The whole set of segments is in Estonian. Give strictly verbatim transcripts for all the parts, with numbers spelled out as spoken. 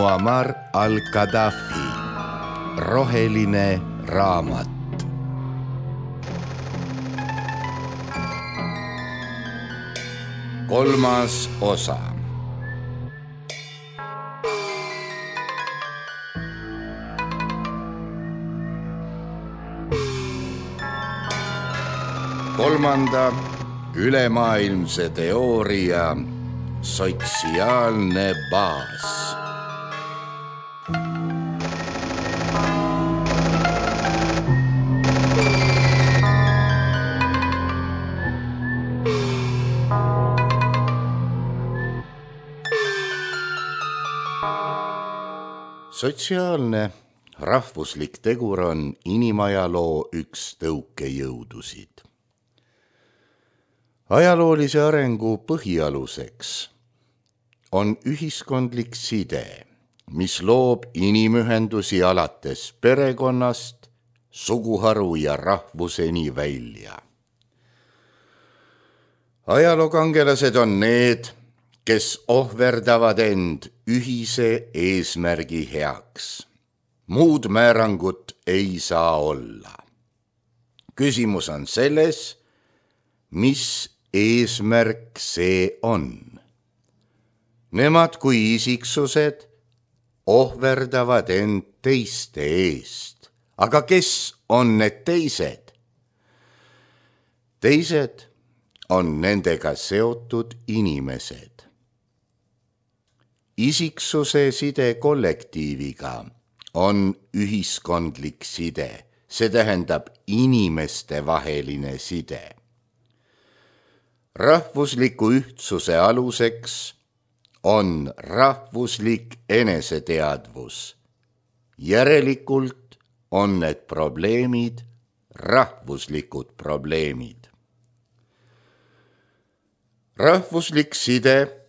Muammar al-Gaddafi, roheline raamat. Kolmas osa. Kolmanda ülemaailmse teooria sotsiaalne baas. Sotsiaalne rahvuslik tegur on inimajaloo üks tõukejõudusid. Ajaloolise arengu põhialuseks on ühiskondlik side, mis loob inimühendusi alates perekonnast, suguharu ja rahvuseni välja. Ajalookangelased on need, kes ohverdavad end ühise eesmärgi heaks. Muud määrangut ei saa olla. Küsimus on selles, mis eesmärk see on. Nemad kui isiksused ohverdavad end teiste eest. Aga kes on need teised? Teised on nendega seotud inimesed. Isiksuse side kollektiiviga on ühiskondlik side, see tähendab inimeste vaheline side. Rahvusliku ühtsuse aluseks on rahvuslik eneseteadvus. Järelikult on need probleemid rahvuslikud probleemid. Rahvuslik side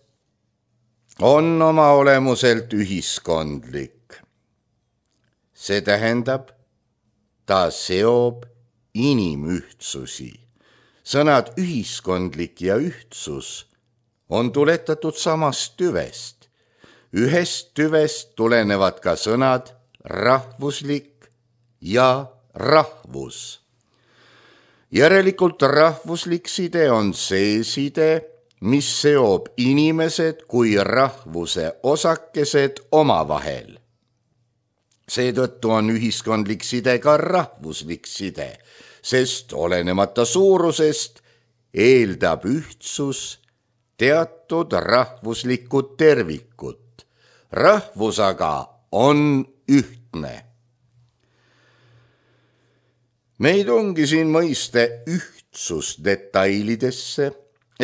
on oma olemuselt ühiskondlik. See tähendab, ta seob inimühtsusi. Sõnad ühiskondlik ja ühtsus on tuletatud samast tüvest. Ühest tüvest tulenevad ka sõnad rahvuslik ja rahvus. Järelikult rahvuslik side on see side, mis seob inimesed kui rahvuse osakesed omavahel. Seetõttu on ühiskondlik side ka rahvuslik side, sest olenemata suurusest eeldab ühtsus teatud rahvuslikku tervikut. Rahvus aga on ühtne. Meid ongi siin mõiste ühtsus detailidesse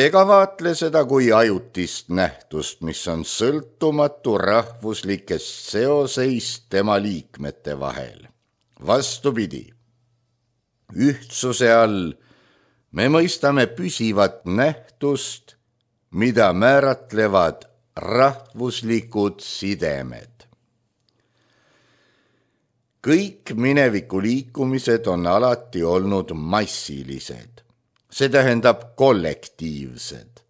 ega vaatle seda kui ajutist nähtust, mis on sõltumatu rahvuslikest seoseist tema liikmete vahel. Vastupidi, ühtsuse all me mõistame püsivat nähtust, mida määratlevad rahvuslikud sidemed. Kõik mineviku liikumised on alati olnud massilised. See tähendab kollektiivsed.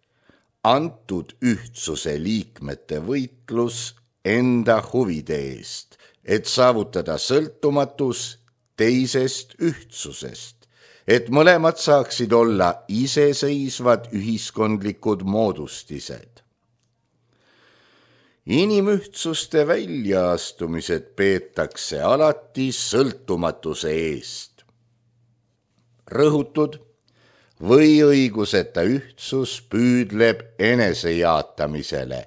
Antud ühtsuse liikmete võitlus enda huvide eest, et saavutada sõltumatus teisest ühtsusest, et mõlemad saaksid olla iseseisvad ühiskondlikud moodustised. Inimühtsuste väljaastumised peetakse alati sõltumatuse eest. Rõhutud või õiguseta ühtsus püüdleb enesejaatamisele,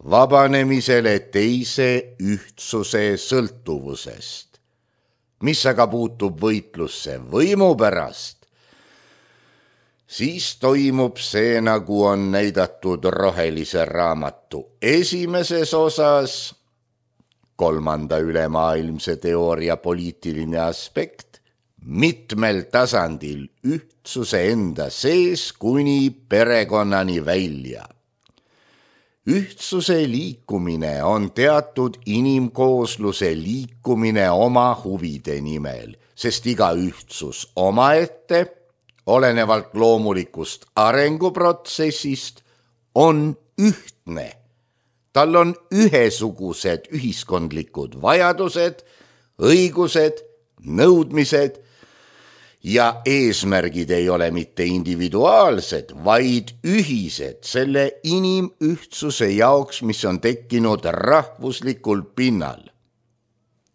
vabanemisele teise ühtsuse sõltuvusest. Mis aga puutub võitlusse võimu pärast, siis toimub see, nagu on näidatud rohelise raamatu esimeses osas, kolmanda ülemaailmse teooria poliitiline aspekt, mitmel tasandil ühtsuse enda sees kuni perekonnani välja. Ühtsuse liikumine on teatud inimkoosluse liikumine oma huvide nimel, sest iga ühtsus omaette, olenevalt loomulikust arenguprotsessist, on ühtne. tal on ühesugused ühiskondlikud vajadused, õigused, nõudmised ja eesmärgid ei ole mitte individuaalsed, vaid ühised selle inimühtsuse jaoks, mis on tekkinud rahvuslikul pinnal.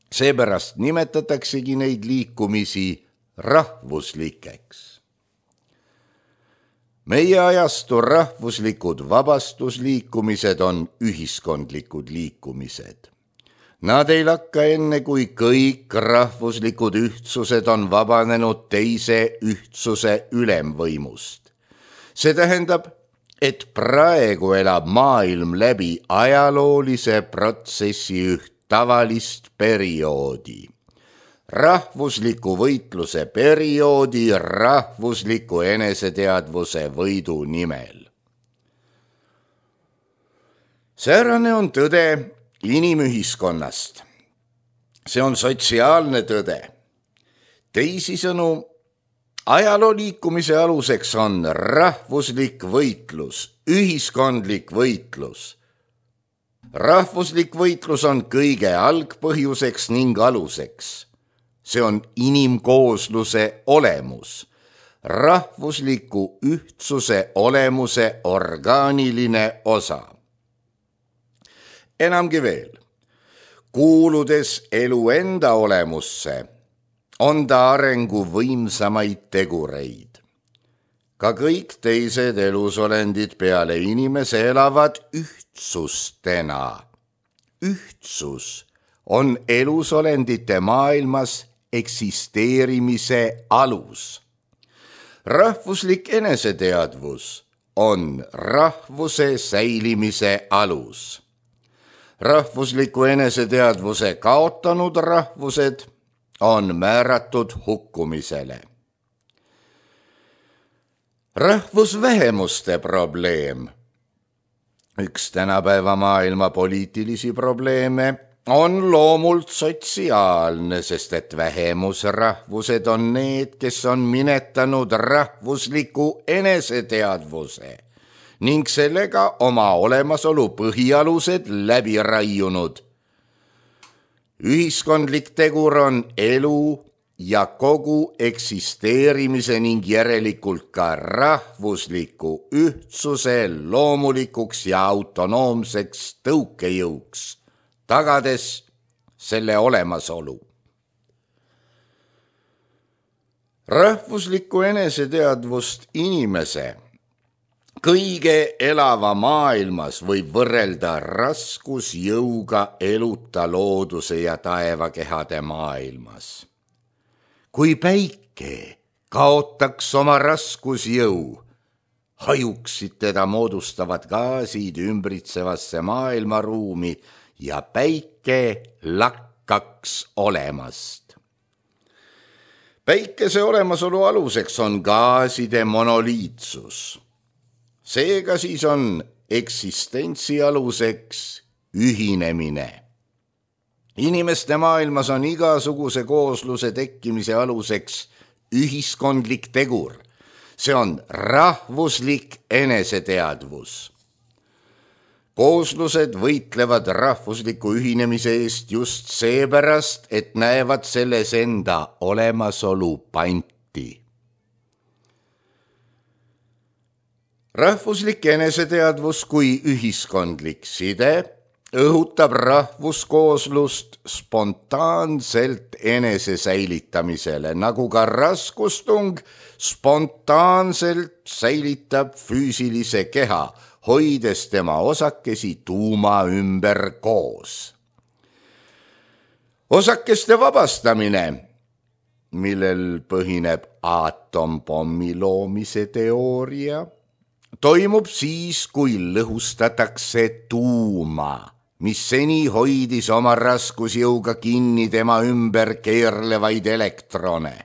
Seepärast nimetataksegi neid liikumisi rahvuslikeks. Meie ajastu rahvuslikud vabastusliikumised on ühiskondlikud liikumised. Nad ei lakka enne, kui kõik rahvuslikud ühtsused on vabanenud teise ühtsuse ülemvõimust. See tähendab, et praegu elab maailm läbi ajaloolise protsessi üht tavalist perioodi. Rahvusliku võitluse perioodi rahvusliku eneseteadvuse võidu nimel. Säärane on tõde inimühiskonnast. See on sotsiaalne tõde. Teisisõnu, ajaloo liikumise aluseks on rahvuslik võitlus, ühiskondlik võitlus. Rahvuslik võitlus on kõige algpõhjuseks ning aluseks. See on inimkoosluse olemus, rahvusliku ühtsuse olemuse orgaaniline osa. Enamgi veel, kuuludes elu enda olemusse, on ta arengu võimsamaid tegureid. Ka kõik teised elusolendid peale inimese elavad ühtsustena. Ühtsus on elusolendite maailmas eksisteerimise alus. Rahvuslik eneseteadvus on rahvuse säilimise alus. Rahvusliku eneseteadvuse kaotanud rahvused on määratud hukkumisele. Rahvusvähemuste probleem, üks tänapäeva maailma poliitilisi probleeme, on loomult sotsiaalne, sest et vähemusrahvused on need, kes on minetanud rahvusliku eneseteadvuse ning sellega oma olemasolu põhialused läbi raiunud. Ühiskondlik tegur on elu ja kogu eksisteerimise ning järelikult ka rahvusliku ühtsuse loomulikuks ja autonoomseks tõukejõuks, tagades selle olemasolu. Rahvuslikku eneseteadvust inimese kõige elava maailmas võib võrrelda raskusjõuga eluta looduse ja taevakehade maailmas. Kui päike kaotaks oma raskusjõu, hajuksid teda moodustavad gaasid ümbritsevasse maailmaruumi ja päike lakkaks olemast. Päikese olemasolu aluseks on gaaside monoliitsus. Seega siis on eksistentsi aluseks ühinemine. Inimeste maailmas on igasuguse koosluse tekkimise aluseks ühiskondlik tegur. See on rahvuslik eneseteadvus. Kooslused võitlevad rahvusliku ühinemise eest just seepärast, et näevad selles enda olemasolu panti. Rahvuslik eneseteadvus kui ühiskondlik side õhutab rahvuskooslust spontaanselt enese säilitamisele, nagu ka raskustung spontaanselt säilitab füüsilise keha, hoides tema osakesi tuuma ümber koos. Osakeste vabastamine, millel põhineb aatompommi loomise teooria, toimub siis, kui lõhustatakse tuuma, mis seni hoidis oma raskusjõuga kinni tema ümber keerlevaid elektrone.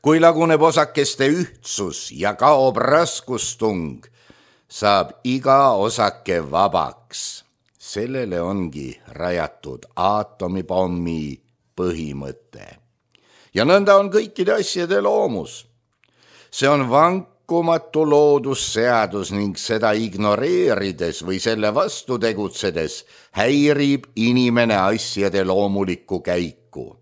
Kui laguneb osakeste ühtsus ja kaob raskustung, saab iga osake vabaks. Sellele ongi rajatud aatomipommi põhimõte. Ja nõnda on kõikide asjade loomus. See on vank lakkumatu loodusseadus ning seda ignoreerides või selle vastu tegutsedes häirib inimene asjade loomulikku käiku.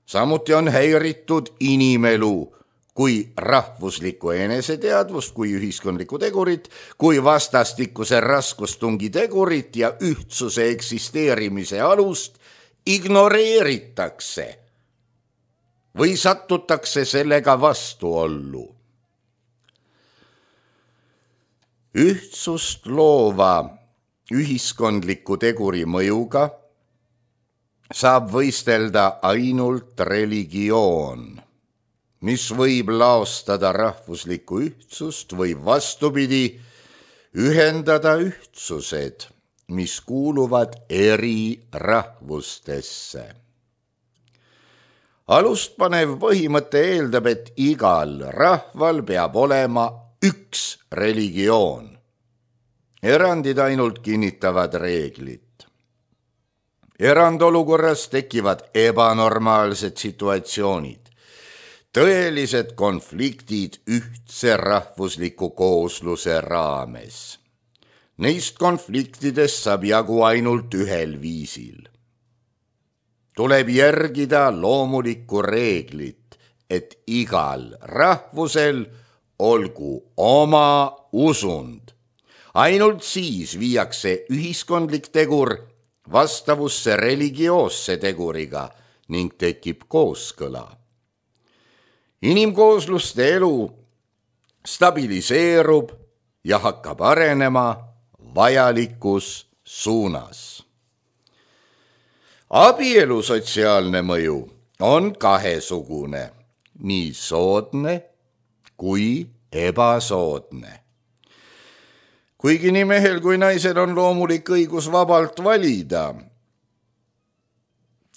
Samuti on häiritud inimelu kui rahvuslikku eneseteadvust, kui ühiskondlikku tegurit, kui vastastikuse raskustungi tegurit ja ühtsuse eksisteerimise alust ignoreeritakse või satutakse sellega vastuollu. Ühtsust loova ühiskondliku teguri mõjuga saab võistelda ainult religioon, mis võib laostada rahvuslikku ühtsust või vastupidi ühendada ühtsused, mis kuuluvad eri rahvustesse. Alustpanev põhimõte eeldab, et igal rahval peab olema üks religioon. Erandid ainult kinnitavad reeglit. Erandolukorras tekivad ebanormaalsed situatsioonid, tõelised konfliktid ühtse rahvusliku koosluse raames. Neist konfliktidest saab jagu ainult ühel viisil. Tuleb järgida loomulikku reeglit, et igal rahvusel olgu oma usund. Ainult siis viiakse ühiskondlik tegur vastavusse religioosse teguriga ning tekib kooskõla. Inimkoosluste elu stabiliseerub ja hakkab arenema vajalikus suunas. Abielu sotsiaalne mõju on kahesugune, nii soodne kui ebasoodne. Kuigi nii mehel kui naisel on loomulik õigus vabalt valida,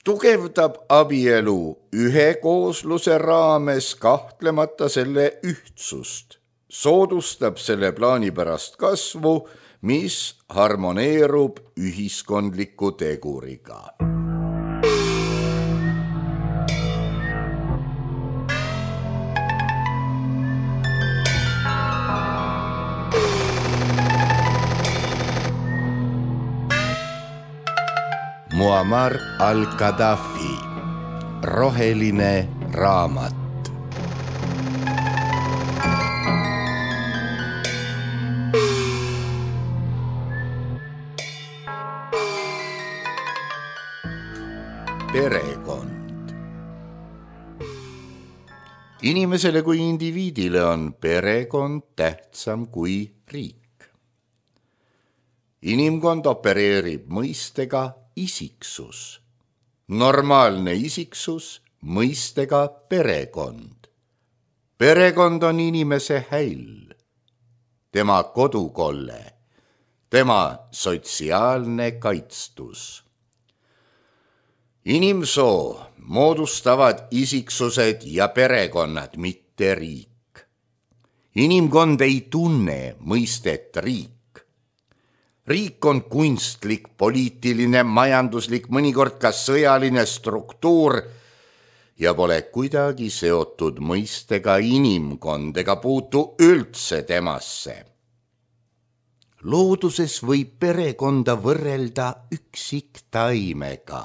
tugevdab abielu ühe koosluse raames kahtlemata selle ühtsust, soodustab selle plaanipärast kasvu, mis harmoneerub ühiskondliku teguriga. Muammar al-Gaddafi, roheline raamat. Perekond. Inimesele kui indiviidile on perekond tähtsam kui riik. Inimkond opereerib mõistega isiksus. Normaalne isiksus mõistega perekond. Perekond on inimese häll, tema kodukolle, tema sotsiaalne kaitstus. Inimsoo moodustavad isiksused ja perekonnad, mitte riik. Inimkond ei tunne mõistet riik. Riik on kunstlik, poliitiline, majanduslik, mõnikord ka sõjaline struktuur ja pole kuidagi seotud mõistega inimkond ega puutu üldse temasse. Looduses võib perekonda võrrelda üksiktaimega,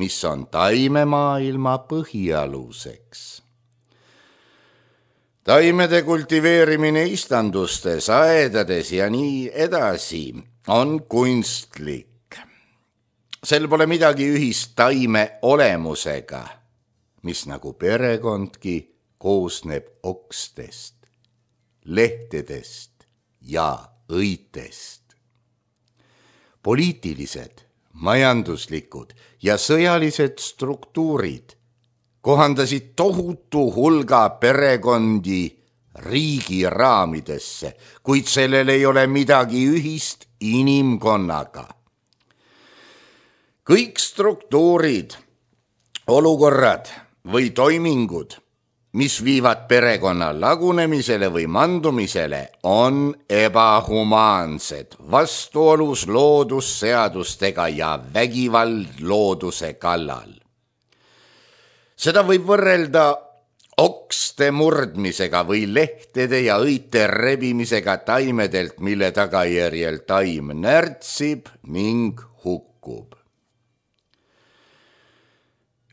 mis on taimemaailma põhialuseks. Taimede kultiveerimine istandustes, aedades ja nii edasi on kunstlik. Sel pole midagi ühist taime olemusega, mis nagu perekondki koosneb okstest, lehtedest ja õitest. Poliitilised, majanduslikud ja sõjalised struktuurid kohandasid tohutu hulga perekondi riigi raamidesse, kuid sellel ei ole midagi ühist inimkonnaga. Kõik struktuurid, olukorrad või toimingud, mis viivad perekonna lagunemisele või mandumisele, on ebahumaansed, vastuolus loodusseadustega ja vägivald looduse kallal. Seda võib võrrelda okste murdmisega või lehtede ja õite rebimisega taimedelt, mille tagajärjel taim närtsib ning hukkub.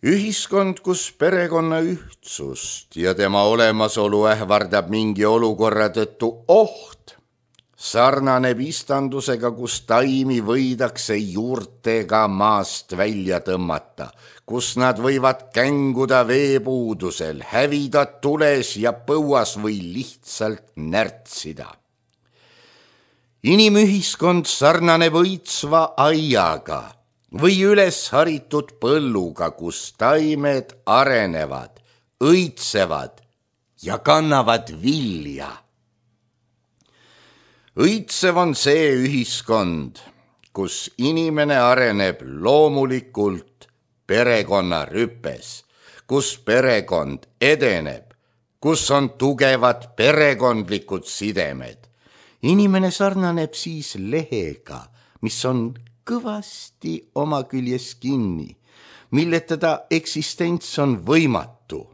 Ühiskond, kus perekonna ühtsust ja tema olemasolu ähvardab mingi olukorra tõttu oht, sarnaneb istandusega, kus taimi võidakse juurtega maast välja tõmmata, kus nad võivad känguda veepuudusel, hävida tules ja põuas või lihtsalt närtsida. Inimühiskond sarnaneb õitsva aiaga või üles haritud põlluga, kus taimed arenevad, õitsevad ja kannavad vilja. Õitsev on see ühiskond, kus inimene areneb loomulikult perekonna rüpes, kus perekond edeneb, kus on tugevad perekondlikud sidemed. Inimene sarnaneb siis lehega, mis on kõvasti oma küljes kinni, milleta ta eksistents on võimatu.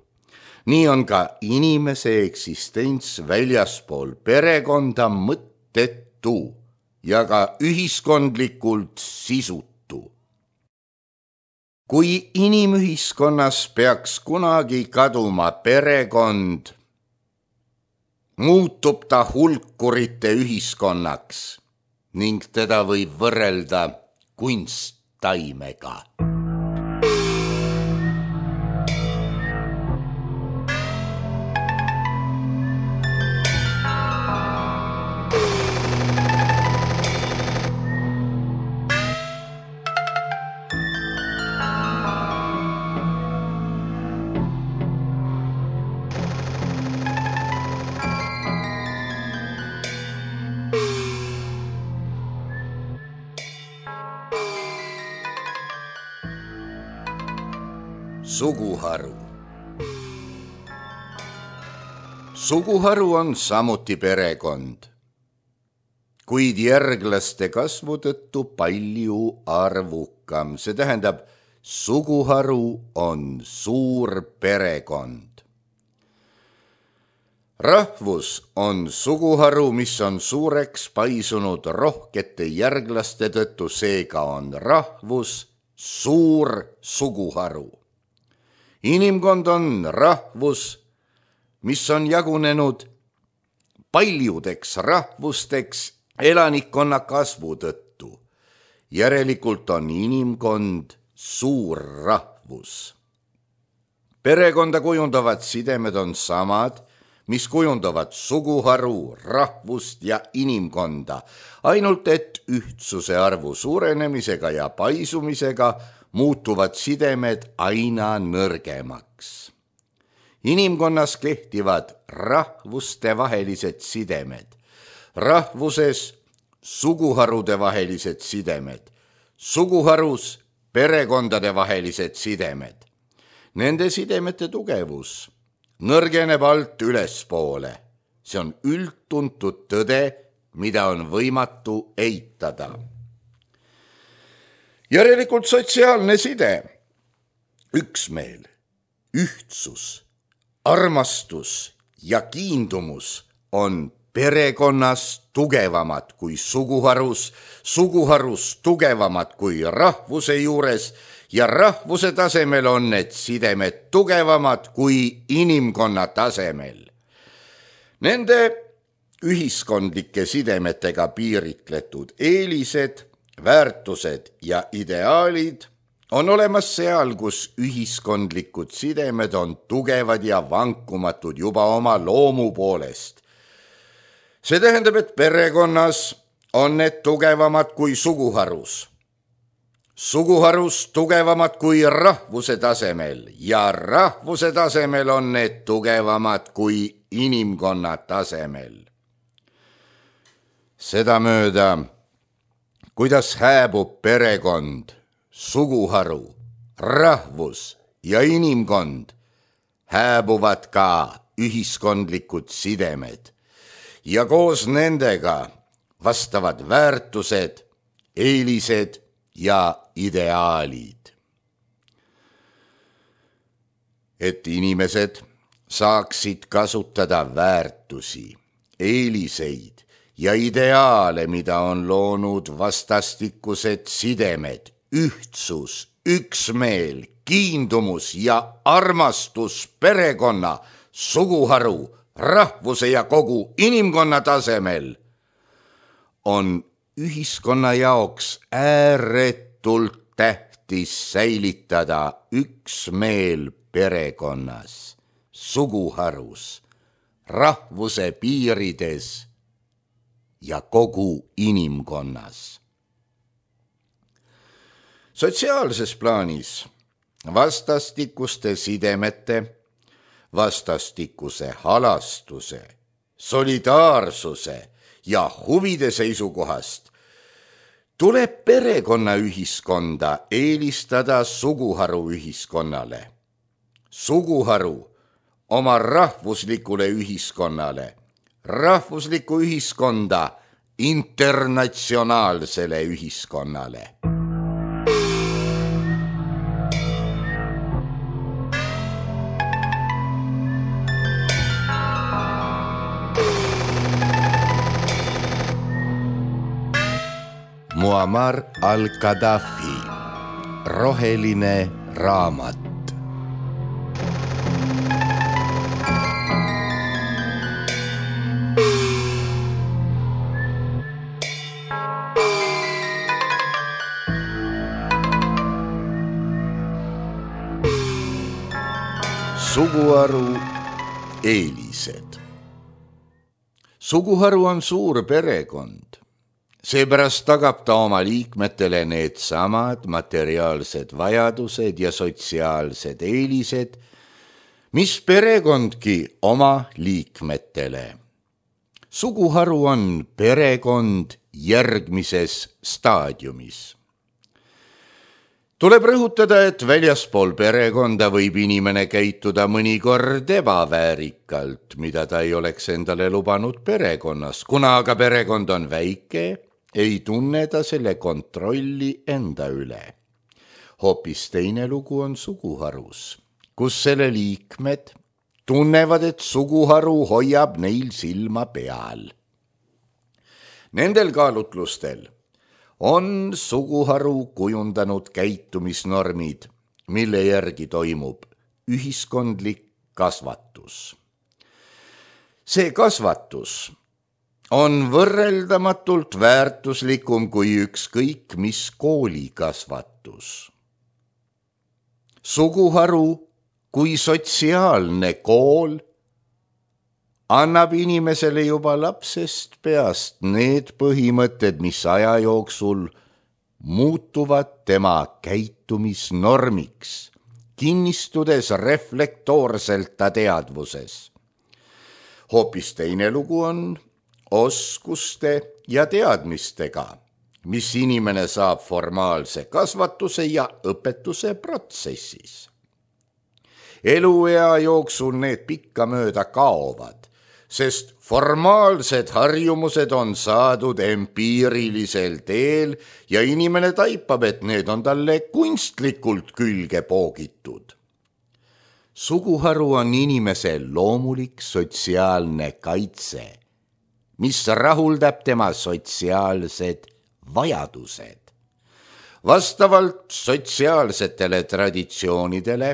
Nii on ka inimese eksistents väljaspool perekonda mõttetu ja ka ühiskondlikult sisutu. Kui inimühiskonnas peaks kunagi kaduma perekond, muutub ta hulkurite ühiskonnaks ning teda võib võrrelda kunsttaimega. Suguharu. Suguharu on samuti perekond, kuid järglaste kasvu tõttu palju arvukam. See tähendab, suguharu on suur perekond. Rahvus on suguharu, mis on suureks paisunud rohkete järglaste tõttu, seega on rahvus suur suguharu. Inimkond on rahvus, mis on jagunenud paljudeks rahvusteks elanikkonna kasvu tõttu. Järelikult on inimkond suur rahvus. Perekonda kujundavad sidemed on samad, mis kujundavad suguharu, rahvust ja inimkonda, ainult et ühtsuse arvu suurenemisega ja paisumisega muutuvad sidemed aina nõrgemaks. Inimkonnas kehtivad rahvuste vahelised sidemed, rahvuses suguharude vahelised sidemed, suguharus perekondade vahelised sidemed. Nende sidemete tugevus nõrgeneb alt ülespoole. See on üldtuntud tõde, mida on võimatu eitada. Järelikult sotsiaalne side, üksmeel, ühtsus, armastus ja kiindumus on perekonnas tugevamad kui suguharus, suguharus tugevamad kui rahvuse juures ja rahvuse tasemel on need sidemed tugevamad kui inimkonna tasemel. Nende ühiskondlike sidemetega piiritletud eelised, väärtused ja ideaalid on olemas seal, kus ühiskondlikud sidemed on tugevad ja vankumatud juba oma loomu poolest. See tähendab, et perekonnas on need tugevamad kui suguharus. Suguharus tugevamad kui rahvuse tasemel ja rahvuse tasemel on need tugevamad kui inimkonna tasemel. Sedamööda, kuidas hääbub perekond, suguharu, rahvus ja inimkond, hääbuvad ka ühiskondlikud sidemed ja koos nendega vastavad väärtused, eelised ja ideaalid. Et inimesed saaksid kasutada väärtusi, eeliseid ja ideaale, mida on loonud vastastikused sidemed, ühtsus, üksmeel, kiindumus ja armastus perekonna, suguharu, rahvuse ja kogu inimkonna tasemel, on ühiskonna jaoks ääretult tähtis säilitada üksmeel perekonnas, suguharus, rahvuse piirides ja kogu inimkonnas. Sotsiaalses plaanis vastastikuste sidemete, vastastikuse halastuse, solidaarsuse ja huvide seisukohast tuleb perekonnaühiskonda eelistada suguharu ühiskonnale, suguharu oma rahvuslikule ühiskonnale, rahvuslikku ühiskonda internatsionaalsele ühiskonnale. Muammar al-Gaddafi, roheline raamat. Suguharu eelised. Suguharu on suur perekond. Seepärast tagab ta oma liikmetele need samad materiaalsed vajadused ja sotsiaalsed eelised, mis perekondki oma liikmetele. Suguharu on perekond järgmises staadiumis. Tuleb rõhutada, et väljaspool perekonda võib inimene käituda mõnikord ebaväärikalt, mida ta ei oleks endale lubanud perekonnas. Kuna aga perekond on väike, ei tunne ta selle kontrolli enda üle. Hoopis teine lugu on suguharus, kus selle liikmed tunnevad, et suguharu hoiab neil silma peal. Nendel kaalutlustel on suguharu kujundanud käitumisnormid, mille järgi toimub ühiskondlik kasvatus. See kasvatus on võrreldamatult väärtuslikum kui ükskõik mis koolikasvatus. Suguharu kui sotsiaalne kool annab inimesele juba lapsest peast need põhimõtted, mis aja jooksul muutuvad tema käitumisnormiks, kinnistudes reflektoorselt ta teadvuses. Hoopis teine lugu on oskuste ja teadmistega, mis inimene saab formaalse kasvatuse ja õpetuse protsessis. Eluea jooksul need pikkamööda kaovad, sest formaalsed harjumused on saadud empiirilisel teel ja inimene taipab, et need on talle kunstlikult külge poogitud. Suguharu on inimese loomulik sotsiaalne kaitse, mis rahuldab tema sotsiaalsed vajadused. Vastavalt sotsiaalsetele traditsioonidele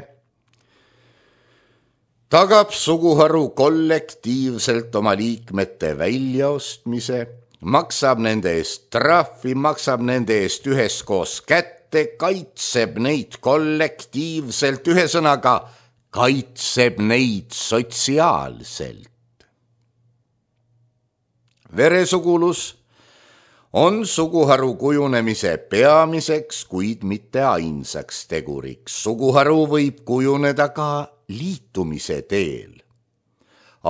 tagab suguharu kollektiivselt oma liikmete väljaostmise, maksab nende eest trahvi, maksab nende eest üheskoos kätte, kaitseb neid kollektiivselt, ühesõnaga kaitseb neid sotsiaalselt. Veresugulus on suguharu kujunemise peamiseks, kuid mitte ainsaks teguriks. Suguharu võib kujuneda ka liitumise teel.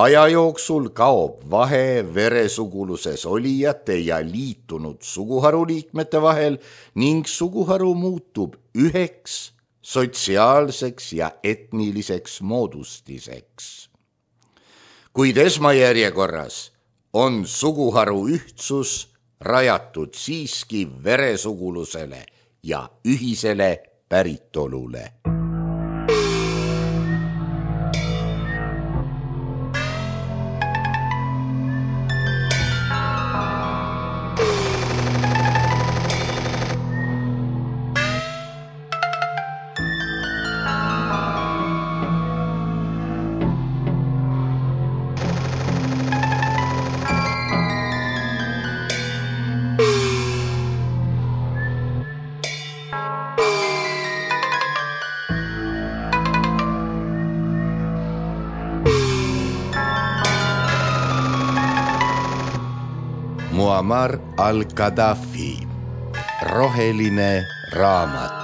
Aja jooksul kaob vahe veresuguluses olijate ja liitunud suguharu liikmete vahel ning suguharu muutub üheks sotsiaalseks ja etniliseks moodustiseks. Kuid esmajärjekorras on suguharu ühtsus rajatud siiski veresugulusele ja ühisele päritolule. Muammar al-Gaddafi, roheline raamat.